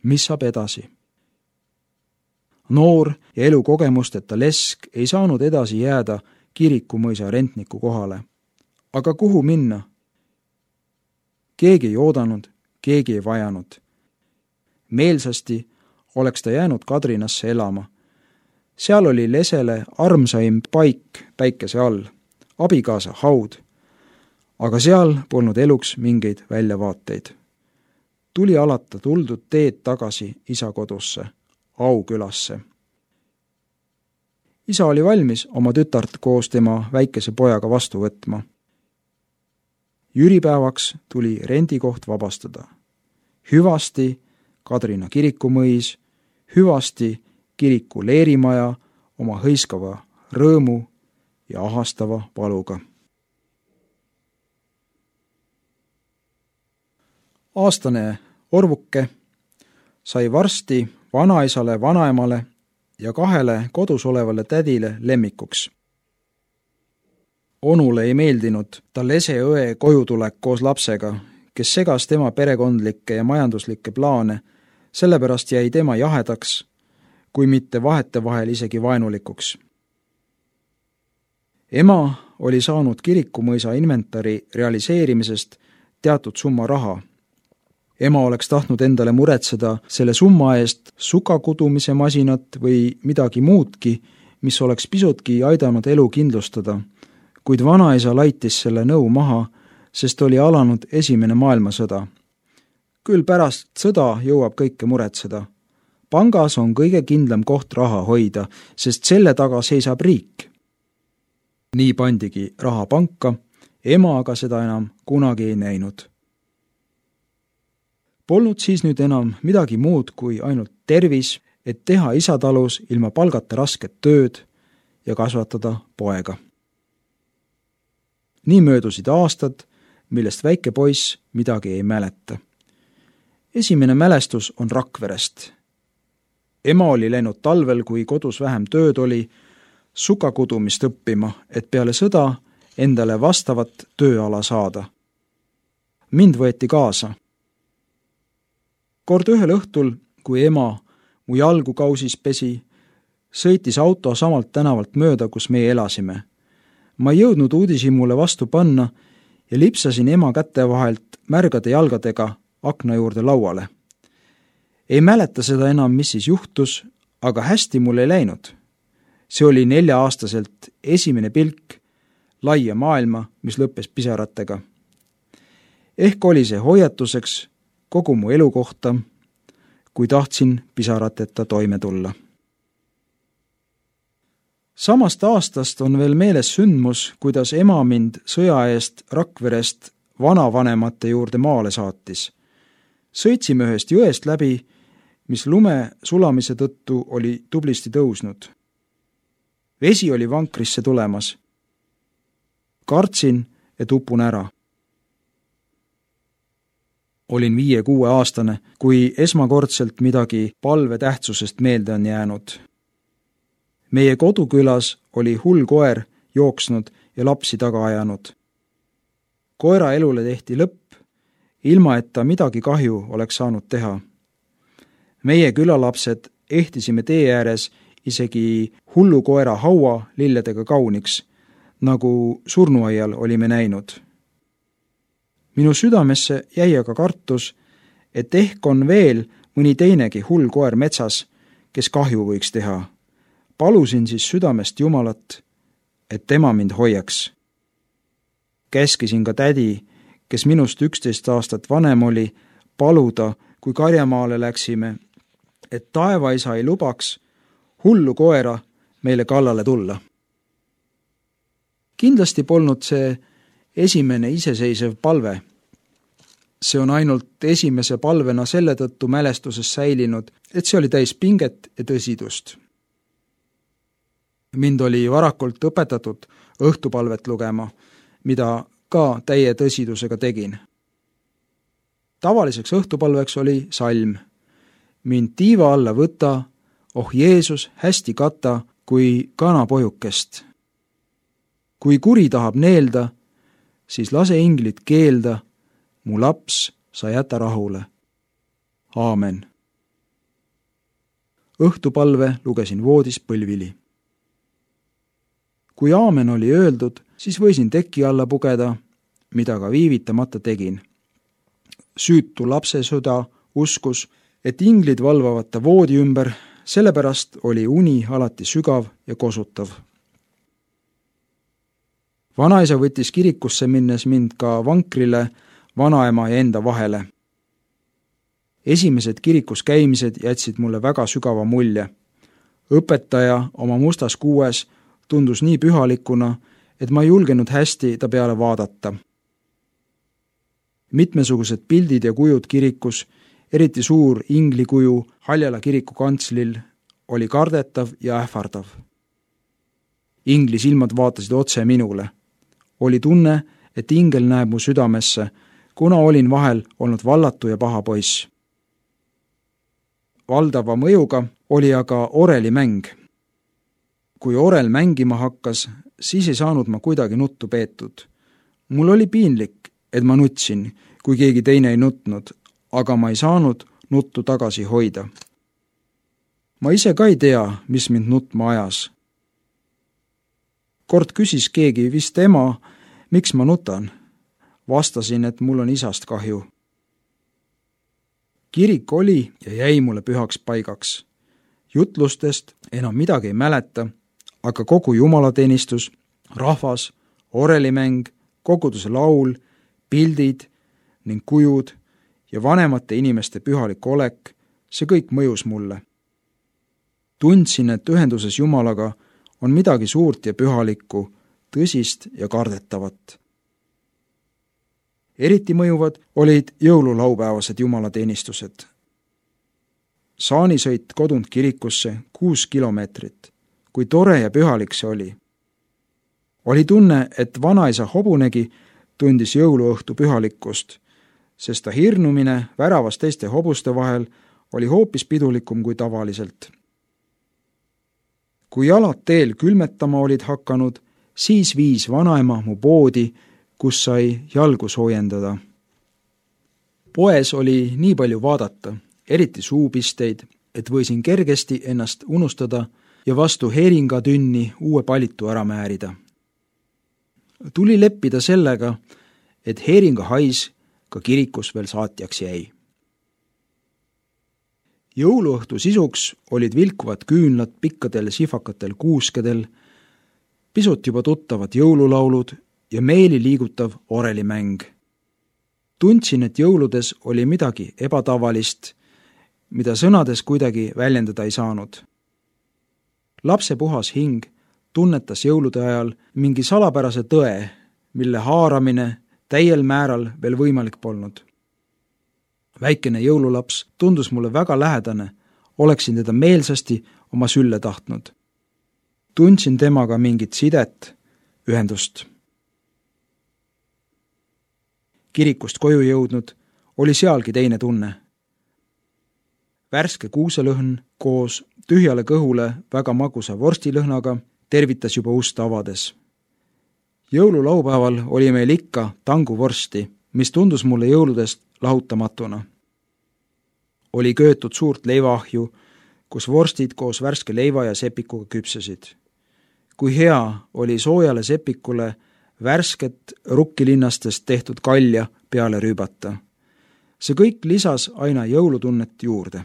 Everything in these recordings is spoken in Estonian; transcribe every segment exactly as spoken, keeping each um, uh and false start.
mis saab edasi? Noor ja elukogemusteta lesk ei saanud edasi jääda Kirikumõisa rentniku kohale. Aga kuhu minna? Keegi ei oodanud, keegi ei vajanud. Meelsasti oleks ta jäänud Kadrinasse elama. Seal oli Lesele armsaim paik päikese all, abikaasa haud. Aga seal polnud eluks mingeid väljavaateid. Tuli alata tuldud teed tagasi isa kodusse, Aukülasse. Isa oli valmis oma tütart koos tema väikese pojaga vastu võtma. Jüripäevaks tuli rendikoht vabastada. Hüvasti Kadrina kirikumõis, hüvasti kiriku leerimaja oma hõiskava rõõmu ja ahastava valuga. Aastane orvuke sai varsti vanaisale, vanaemale ja kahele kodus olevale tädile lemmikuks. Onule ei meeldinud ta Lese õe kojutulek koos lapsega, kes segas tema perekondlikke ja majanduslikke plaane, sellepärast jäi tema jahedaks, kui mitte vahetevahel isegi vaenulikuks. Ema oli saanud Kirikumõisa inventari realiseerimisest teatud summa raha. Ema oleks tahtnud endale muretseda selle summa eest sukakudumise masinat või midagi muudki, mis oleks pisutki aidanud elu kindlustada, kuid vanaisa laitis selle nõu maha, sest oli alanud esimene maailmasõda. Küll pärast sõda jõuab kõike muretseda. Pangas on kõige kindlam koht raha hoida, sest selle taga seisab riik. Nii pandigi raha panka, ema aga seda enam kunagi ei näinud. Polnud siis nüüd enam midagi muud kui ainult tervis, et teha isatalus ilma palgata rasket tööd ja kasvatada poega. Nii möödusid aastad, millest väike poiss midagi ei mäleta. Esimene mälestus on Rakverest. Ema oli läinud talvel, kui kodus vähem tööd oli, sukakudumist õppima, et peale sõda endale vastavat tööala saada. Mind võeti kaasa. Kord ühel õhtul, kui ema mu jalgu kausis pesi, sõitis auto samalt tänavalt mööda, kus meie elasime. Ma ei jõudnud uudishimule vastu panna ja lipsasin ema käte vahelt märgade jalgadega akna juurde lauale. Ei mäleta seda enam, mis siis juhtus, aga hästi mul ei läinud. See oli nelja-aastaselt esimene pilk laia maailma, mis lõppes pisaratega. Ehk oli see hoiatuseks kogu mu elu kohta, kui tahtsin pisarateta toime tulla. Samast aastast on veel meeles sündmus, kuidas ema mind sõja eest Rakverest vanavanemate juurde maale saatis. Sõitsime ühest jõest läbi, mis lume sulamise tõttu oli tublisti tõusnud. Vesi oli vankrisse tulemas. Kartsin, et upun ära. Olin viie-kuue aastane, kui esmakordselt midagi palve tähtsusest meelde on jäänud. Meie kodukülas oli hull koer jooksnud ja lapsi taga ajanud. Koera elule tehti lõpp, ilma et ta midagi kahju oleks saanud teha. Meie külalapsed ehtisime tee ääres isegi hullu koera haua lilledega kauniks, nagu surnuaial olime näinud. Minu südamesse jäi aga kartus, et ehk on veel mõni teinegi hull koer metsas, kes kahju võiks teha. Palusin siis südamest Jumalat, et tema mind hoiaks. Käskisin ka tädi, kes minust üksteist aastat vanem oli, paluda, kui Karjamaale läksime, et taevaisa ei lubaks hullu koera meile kallale tulla. Kindlasti polnud see esimene iseseisev palve. See on ainult esimese palvena selle tõttu mälestuses säilinud, et see oli täis pinget ja tõsidust. Mind oli varakult õpetatud õhtupalvet lugema, mida ka täie tõsidusega tegin. Tavaliseks õhtupalveks oli salm. Mind tiiva alla võta, oh Jeesus, hästi kata kui kanapojukest. Kui kuri tahab neelda, siis lase inglit keelda, mu laps sa jäta rahule. Aamen. õhtupalve lugesin voodis põlvili. Kui aamen oli öeldud, siis võisin teki alla pugeda, mida ka viivitamata tegin. Süütu lapse süda uskus, et inglid valvavad ta voodi ümber, sellepärast oli uni alati sügav ja kosutav. Vanaisa võttis kirikusse minnes mind ka vankrile vanaema ja enda vahele. Esimesed kirikus käimised jätsid mulle väga sügava mulje. Õpetaja oma mustas kuues tundus nii pühalikuna, et ma ei julgenud hästi ta peale vaadata. Mitmesugused pildid ja kujud kirikus, eriti suur inglikuju Haljala kiriku kantslil, oli kardetav ja ähvardav. Ingli silmad vaatasid otse minule. Oli tunne, et ingel näeb mu südamesse, kuna olin vahel olnud vallatu ja paha poiss. Valdava mõjuga oli aga orelimäng. Kui orel mängima hakkas, siis ei saanud ma kuidagi nuttu peetud. Mul oli piinlik, et ma nutsin, kui keegi teine ei nutnud, aga ma ei saanud nuttu tagasi hoida. Ma ise ka ei tea, mis mind nutma ajas. Kord küsis keegi vist ema, miks ma nutan. Vastasin, et mul on isast kahju. Kirik oli ja jäi mulle pühaks paigaks. Jutlustest enam midagi ei mäleta, aga kogu jumalateenistus, rahvas, orelimäng, koguduse laul, pildid ning kujud ja vanemate inimeste pühalik olek, see kõik mõjus mulle. Tundsin, et ühenduses Jumalaga on midagi suurt ja pühalikku, tõsist ja kardetavat. Eriti mõjuvad olid jõululaupäevased jumalateenistused. Saanisõit kodunt kirikusse kuus kilomeetrit. Kui tore ja pühalik see oli. Oli tunne, et vanaisa hobunegi tundis jõuluõhtu pühalikkust, sest ta hirnumine väravas teiste hobuste vahel oli hoopis pidulikum kui tavaliselt. Kui jalad teel külmetama olid hakanud, siis viis vanaema mu poodi, kus sai jalgu soojendada. Poes oli nii palju vaadata, eriti suupisteid, et võisin kergesti ennast unustada ja vastu heeringatünni uue palitu ära määrida. Tuli leppida sellega, et heeringahais ka kirikus veel saatjaks jäi. Jõuluõhtu sisuks olid vilkuvad küünlad pikkadel sihvakatel kuuskedel, pisut juba tuttavad jõululaulud ja meeli liigutav orelimäng. Tundsin, et jõuludes oli midagi ebatavalist, mida sõnades kuidagi väljendada ei saanud. Lapse puhas hing tunnetas jõulude ajal mingi salapärase tõe, mille haaramine täiel määral veel võimalik polnud. Väikene jõululaps tundus mulle väga lähedane, oleksin teda meelsasti oma sülle tahtnud. Tundsin temaga mingit sidet, ühendust. Kirikust koju jõudnud oli sealgi teine tunne. Värske kuuselõhn koos tühjale kõhule väga magusa vorstilõhnaga tervitas juba ust avades. Jõululaupäeval oli meil ikka tanguvorsti, mis tundus mulle jõuludest lahutamatuna. Oli köötud suurt leivaahju, kus vorstid koos värske leiva ja sepikuga küpsesid. Kui hea oli soojale sepikule värsket rukkilinnastest tehtud kalja peale rüübata. See kõik lisas aina jõulutunnet juurde.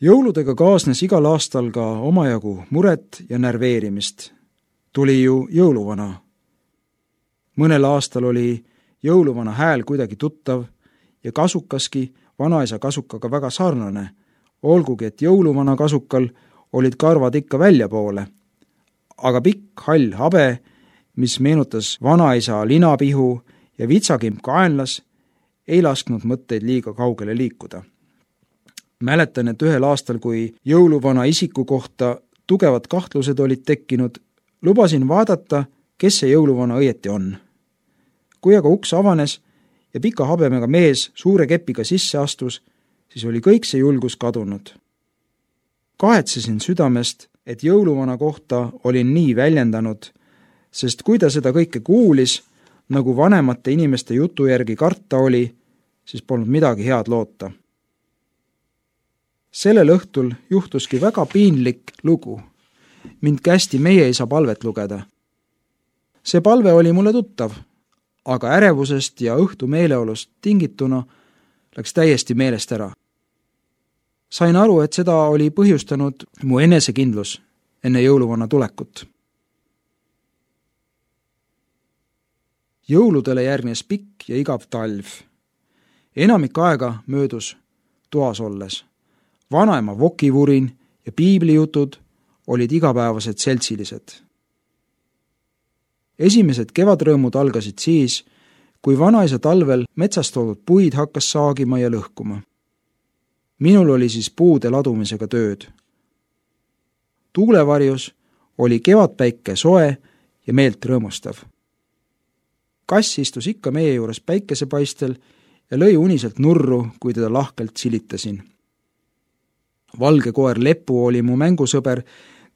Jõuludega kaasnes igal aastal ka omajagu muret ja närveerimist. Tuli ju jõuluvana. Mõnel aastal oli jõuluvana hääl kuidagi tuttav ja kasukaski vanaisa kasukaga väga sarnane, olgugi et jõuluvana kasukal olid karvad ikka väljapoole, aga pikk hall habe, mis meenutas vanaisa linapihu ja vitsakimp kaenlas, ei lasknud mõtteid liiga kaugele liikuda. Mäletan, et ühel aastal, kui jõuluvana isiku kohta tugevad kahtlused olid tekkinud, lubasin vaadata, kes see jõuluvana õieti on. Kui aga uks avanes ja pika habemega mees suure kepiga sisse astus, siis oli kõik see julgus kadunud. Kahetsesin südamest, et jõuluvana kohta olin nii väljendanud, sest kui ta seda kõike kuulis, nagu vanemate inimeste jutu järgi karta oli, siis polnud midagi head loota. sellel õhtul juhtuski väga piinlik lugu. Mind kästi meie isa palvet lugeda. See palve oli mulle tuttav, aga ärevusest ja õhtu meeleolust tingituna läks täiesti meelest ära. Sain aru, et seda oli põhjustanud mu enesekindlus enne jõuluvana tulekut. Jõuludele järgnes pikk ja igav talv. Enamik aega möödus toas olles. Vanaema vokivurin ja piiblijutud olid igapäevased seltsilised. Esimesed kevadrõõmud algasid siis, kui vanaisa talvel metsast toodud puid hakkas saagima ja lõhkuma. Minul oli siis puude ladumisega tööd. Tuulevarjus oli kevadpäike soe ja meelt rõõmustav. Kass istus ikka meie juures päikesepaistel ja lõi uniselt nurru, kui teda lahkelt silitasin. Valge koer Lepu oli mu mängusõber,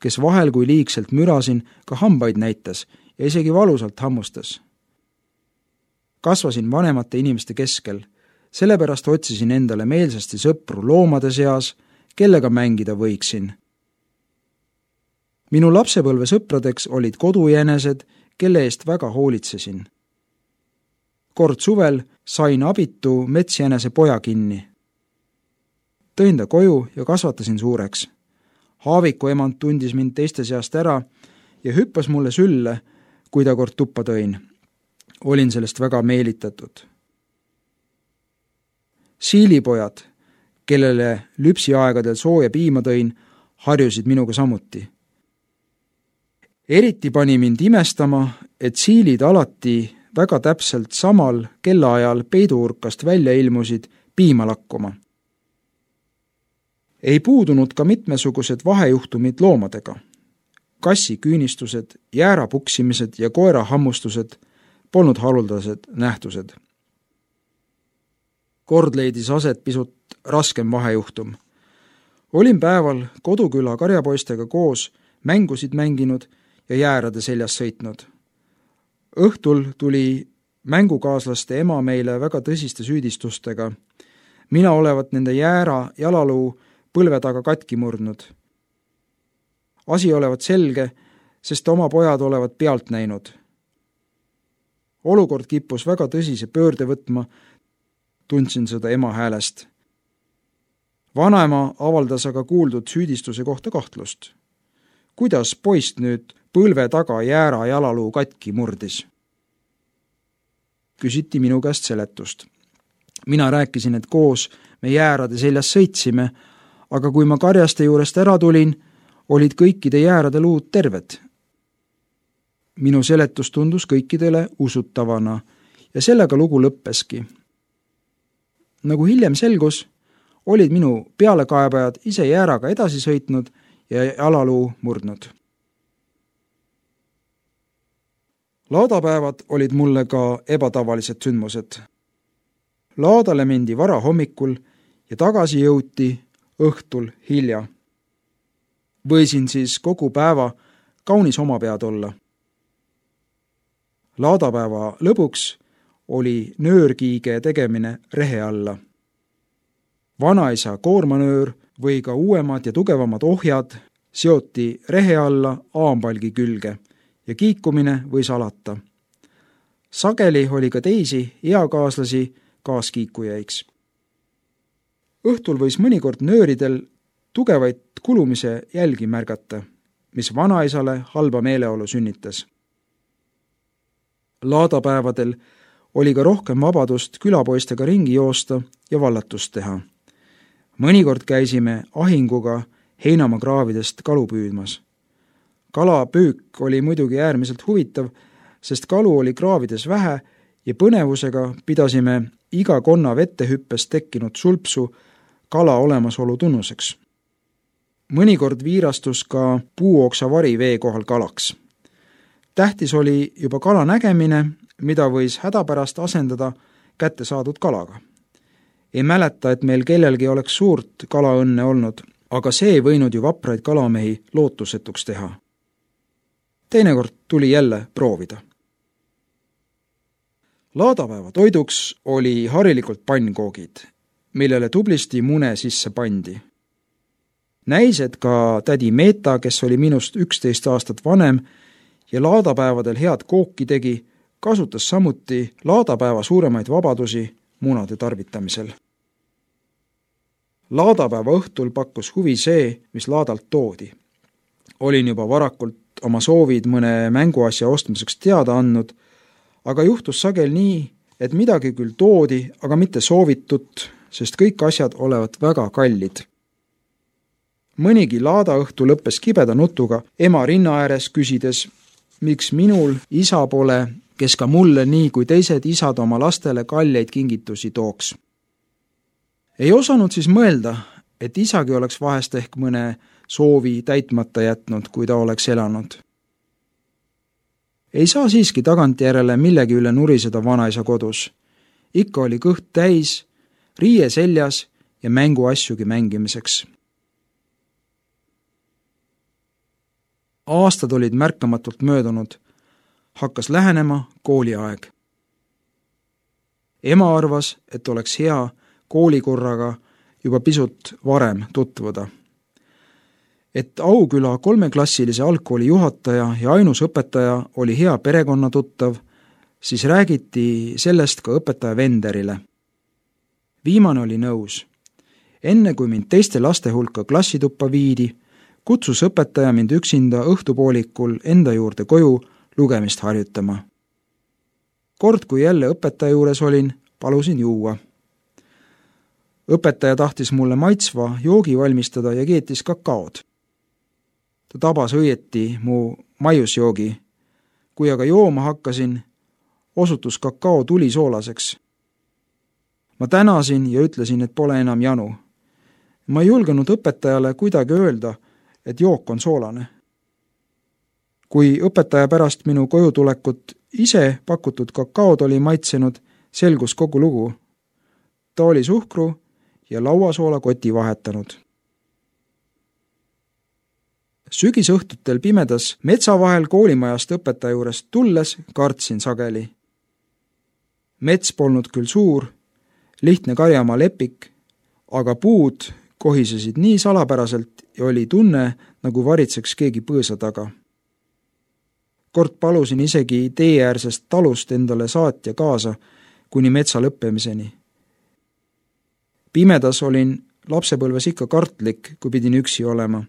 kes vahel, kui liigselt mürasin, ka hambaid näitas ja isegi valusalt hammustas. Kasvasin vanemate inimeste keskel, sellepärast otsisin endale meelsasti sõpru loomade seas, kellega mängida võiksin. Minu lapsepõlve sõpradeks olid kodujänesed, kelle eest väga hoolitsesin. Kord suvel sain abitu metsjänese poja kinni. Tõin ta koju ja kasvatasin suureks. Haaviku emand tundis mind teiste seast ära ja hüppas mulle sülle, kui ta kord tuppa tõin. Olin sellest väga meelitatud. Siilipojad, kellele lüpsiaegadel sooja piima tõin, harjusid minuga samuti. Eriti pani mind imestama, et siilid alati väga täpselt samal kellaajal peiduurkast välja ilmusid piima lakkuma. Ei puudunud ka mitmesugused vahejuhtumid loomadega. Kassi küünistused, jäära puksimised ja koera hammustused polnud haruldased nähtused. Kord leidis aset pisut raskem vahejuhtum. Olin päeval koduküla karjapoistega koos mängusid mänginud ja jäärade seljas sõitnud. Õhtul tuli mängukaaslaste ema meile väga tõsiste süüdistustega. Mina olevat nende jäära jalaluu põlve taga katki murdnud. Asi olevat selge, sest oma pojad olevat pealt näinud. Olukord kippus väga tõsise pöörde võtma, tundsin seda ema häälest. Vanaema avaldas aga kuuldud süüdistuse kohta kahtlust. Kuidas poist nüüd põlve taga jäära jalaluu katki murdis? Küsiti minu käest seletust. Mina rääkisin, et koos me jäärade seljas sõitsime, aga kui ma karjaste juurest ära tulin, olid kõikide jäärade luud terved. Minu seletus tundus kõikidele usutavana ja sellega lugu lõppeski. Nagu hiljem selgus, olid minu pealekaebajad ise jääraga edasi sõitnud ja jalaluu murdnud. Laadapäevad olid mulle ka ebatavalised sündmused. Laadale mindi vara hommikul ja tagasi jõuti õhtul hilja. Võisin siis kogu päeva kaunis oma pead olla. Laadapäeva lõpuks oli nöörkiige tegemine rehe alla. Vanaisa koormanöör või ka uuemad ja tugevamad ohjad seoti rehe alla aampalgi külge ja kiikumine võis alata. Sageli oli ka teisi eakaaslasi kaaskiikujaiks. Õhtul võis mõnikord nööridel tugevaid kulumise jälgi märgata, mis vanaisale halba meeleolu sünnitas. Laadapäevadel oli ka rohkem vabadust külapoistega ringi joosta ja vallatust teha. Mõnikord käisime ahinguga Heinamaa kraavidest kalu püüdmas. Kalapüük oli muidugi äärmiselt huvitav, sest kalu oli kraavides vähe ja põnevusega pidasime iga konna vettehüppes tekkinud sulpsu kala olemasolu tunnuseks. Mõnikord viirastus ka puuoksavari vee kohal kalaks. Tähtis oli juba kala nägemine, mida võis hädapärast asendada kätte saadud kalaga. Ei mäleta, et meil kellelgi oleks suurt kalaõnne olnud, aga see ei võinud ju vapraid kalamehi lootusetuks teha. Teinekord tuli jälle proovida. Laadapäeva toiduks oli harilikult pannkoogid, millele tublisti mune sisse pandi. Näis, et ka tädi Meeta, kes oli minust üksteist aastat vanem ja laadapäevadel head kooki tegi, kasutas samuti laadapäeva suuremaid vabadusi munade tarvitamisel. Laadapäeva õhtul pakkus huvi see, mis laadalt toodi. Olin juba varakult oma soovid mõne mänguasja ostmiseks teada andnud, aga juhtus sagel nii, et midagi küll toodi, aga mitte soovitut, sest kõik asjad olevat väga kallid. Mõnigi laadaõhtu lõppes kibeda nutuga ema rinna ääres küsides, miks minul isa pole, kes ka mulle nii kui teised isad oma lastele kalleid kingitusi tooks. Ei osanud siis mõelda, et isagi oleks vahest ehk mõne soovi täitmata jätnud, kui ta oleks elanud. Ei saa siiski tagantjärele millegi üle nuriseda vanaisa kodus. Ikka oli kõht täis, riie seljas ja mänguasjugi mängimiseks. Aastad olid märkamatult möödunud. Hakkas lähenema kooliaeg. Ema arvas, et oleks hea koolikorraga juba pisut varem tutvuda. Et Auküla kolmeklassilise algkooli juhataja ja ainus õpetaja oli hea perekonna tuttav, siis räägiti sellest ka õpetaja Venderile. Viimane oli nõus. Enne kui mind teiste laste hulka klassituppa viidi, kutsus õpetaja mind üksinda õhtupoolikul enda juurde koju lugemist harjutama. Kord, kui jälle õpetaja juures olin, palusin juua. Õpetaja tahtis mulle maitsva joogi valmistada ja keetis kakaod. Ta tabas õieti mu maiusjoogi. Kui aga jooma hakkasin, osutus kakao tuli soolaseks. Ma tänasin ja ütlesin, et pole enam janu. Ma ei julgenud õpetajale kuidagi öelda, et jook on soolane. Kui õpetaja pärast minu koju tulekut ise pakutud kakaod oli maitsenud, selgus kogu lugu. Ta oli suhkru ja lauasoola koti vahetanud. Sügisõhtutel pimedas metsa vahel koolimajast õpetaja juurest tulles kartsin sageli. Mets polnud küll suur, lihtne karjamaa lepik, aga puud kohisesid nii salapäraselt ja oli tunne, nagu varitseks keegi põõsa taga. Kord palusin isegi teeäärsest talust endale saatja kaasa kuni metsa lõppemiseni. Pimedas olin lapsepõlves ikka kartlik, kui pidin üksi olema.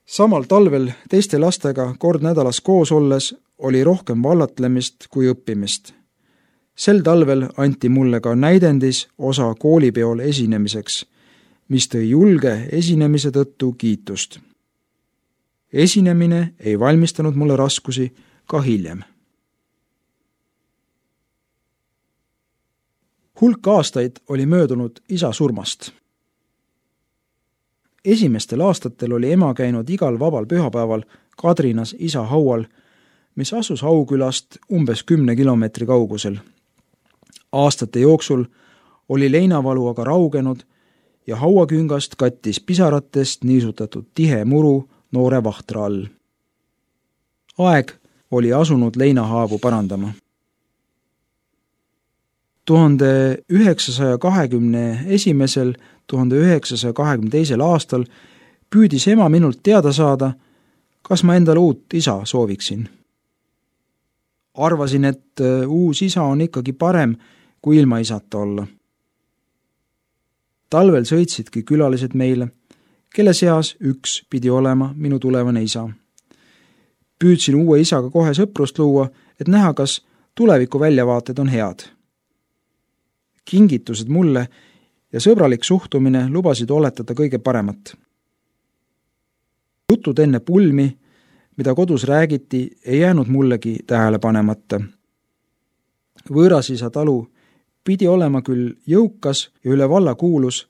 Samal talvel teiste lastega kord nädalas koos olles oli rohkem vallatlemist kui õppimist. Sel talvel anti mulle ka näidendis osa koolipeol esinemiseks, mis tõi julge esinemise tõttu kiitust. Esinemine ei valmistanud mulle raskusi ka hiljem. Hulk aastaid oli möödunud isa surmast. Esimestel aastatel oli ema käinud igal vabal pühapäeval Kadrinas isa haual, mis asus Aukülast umbes kümne kilomeetri kaugusel. Aastate jooksul oli leinavalu aga raugenud ja hauaküngast kattis pisaratest niisutatud tihe muru noore vahtra all. Aeg oli asunud leinahaavu parandama. tuhande üheksasaja kahekümne esimesel, tuhande üheksasaja kahekümne teisel aastal püüdis ema minult teada saada, kas ma endale uut isa sooviksin. Arvasin, et uus isa on ikkagi parem, kui ilma isata olla. Talvel sõitsidki külalised meile, kelle seas üks pidi olema minu tulevane isa. Püüdsin uue isaga kohe sõprust luua, et näha, kas tuleviku väljavaated on head. Kingitused mulle ja sõbralik suhtumine lubasid oletada kõige paremat. Jutud enne pulmi, mida kodus räägiti, ei jäänud mullegi tähele panemata. Võõrasisa talu pidi olema küll jõukas ja üle valla kuulus,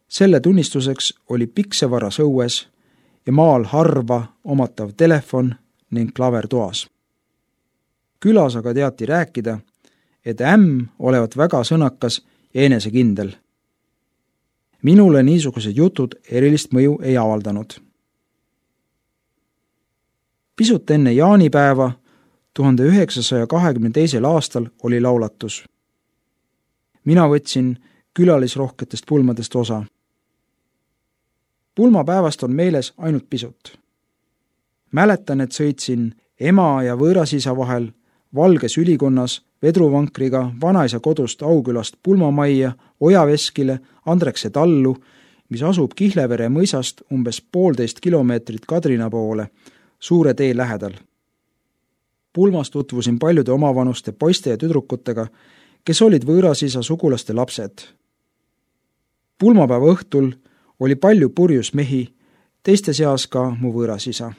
selle tunnistuseks oli piksevaras õues ja maal harva omatav telefon ning klaver toas. Külas aga teati rääkida, et ämm olevat väga sõnakas ja enesekindel. Minule niisugused jutud erilist mõju ei avaldanud. Pisut enne jaanipäeva tuhande üheksasaja kahekümne teisel aastal oli laulatus. Mina võtsin külalisrohketest pulmadest osa. Pulmapäevast on meeles ainult pisut. Mäletan, et sõitsin ema ja võõrasisa vahel valges ülikonnas vedruvankriga vanaisa kodust Aukülast Pulmamajja, Ojaveskile, Andrekse tallu, mis asub Kihlevere mõisast umbes poolteist kilomeetrit Kadrina poole, suure tee lähedal. Pulmas tutvusin paljude omavanuste poiste ja tüdrukutega, kes olid võõrasisa sugulaste lapsed. Pulmapäeva õhtul oli palju purjus mehi, teiste seas ka mu võõrasisa.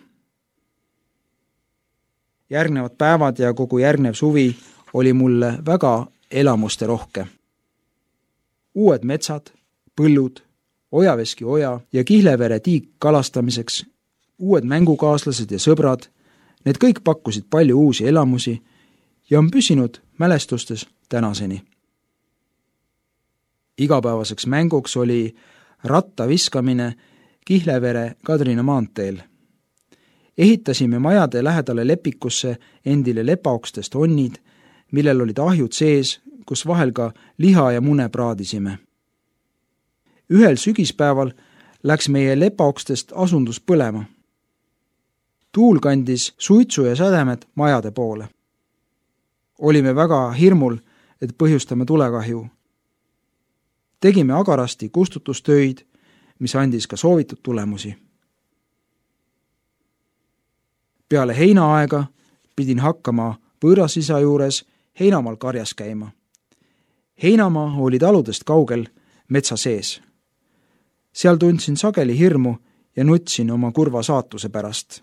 Järgnevad päevad ja kogu järgnev suvi oli mulle väga elamuste rohke. Uued metsad, põllud, Ojaveski oja ja Kihlevere tiik kalastamiseks, uued mängukaaslased ja sõbrad, need kõik pakkusid palju uusi elamusi ja on püsinud mälestustes tänaseni. Igapäevaseks mänguks oli ratta viskamine Kihlevere Kadrina maanteel. Ehitasime majade lähedale lepikusse endile lepaokstest onnid, millel olid ahjud sees, kus vahel ka liha ja mune praadisime. Ühel sügispäeval läks meie lepaokstest asundus põlema. Tuul kandis suitsu ja sädemed majade poole. Olime väga hirmul, et põhjustame tulekahju. Tegime agarasti kustutustöid, mis andis ka soovitud tulemusi. Peale heinaaega pidin hakkama võõrasisa juures heinamaal karjas käima. Heinamaa oli taludest kaugel metsa sees. Seal tundsin sageli hirmu ja nutsin oma kurva saatuse pärast.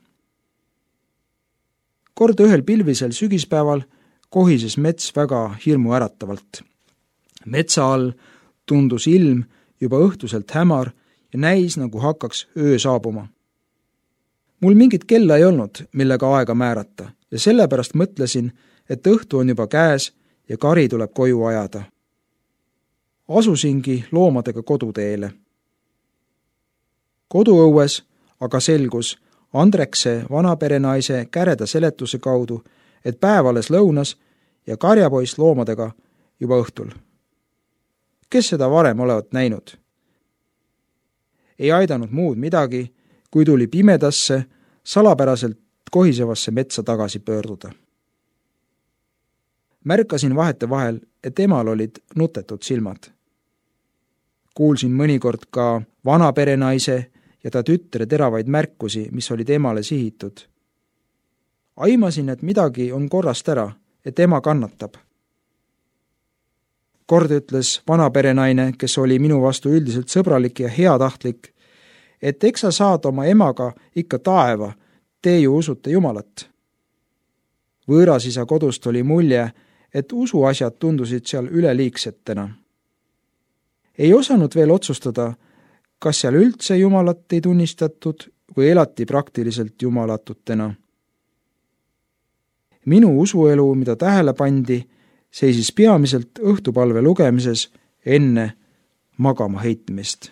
Kord ühel pilvisel sügispäeval kohises mets väga hirmu äratavalt. Metsa all tundus ilm juba õhtuselt hämar ja näis, nagu hakkaks öö saabuma. Mul mingit kella ei olnud, millega aega määrata ja sellepärast mõtlesin, et õhtu on juba käes ja kari tuleb koju ajada. Asusingi loomadega koduteele. Koduõues aga selgus Andrekse vanaperenaise käreda seletuse kaudu, et päev alles lõunas ja karjapoiss loomadega juba õhtul. Kes seda varem olevat näinud? Ei aidanud muud midagi, kui tuli pimedasse, salapäraselt kohisevasse metsa tagasi pöörduda. Märkasin vahete vahel, et emal olid nutetud silmad. Kuulsin mõnikord ka vanaperenaise ja ta tütre teravaid märkusi, mis olid emale sihitud. Aimasin, et midagi on korrast ära, et ema kannatab. Kord ütles vanaperenaine, kes oli minu vastu üldiselt sõbralik ja heatahtlik, et eks sa saad oma emaga ikka taeva, te ju usute Jumalat. Võõrasisa kodust oli mulje, et usuasjad tundusid seal üleliigsetena. Ei osanud veel otsustada, kas seal üldse Jumalat ei tunnistatud või elati praktiliselt jumalatutena. Minu usuelu, mida tähele pandi, seisis peamiselt õhtupalve lugemises enne magama heitmist.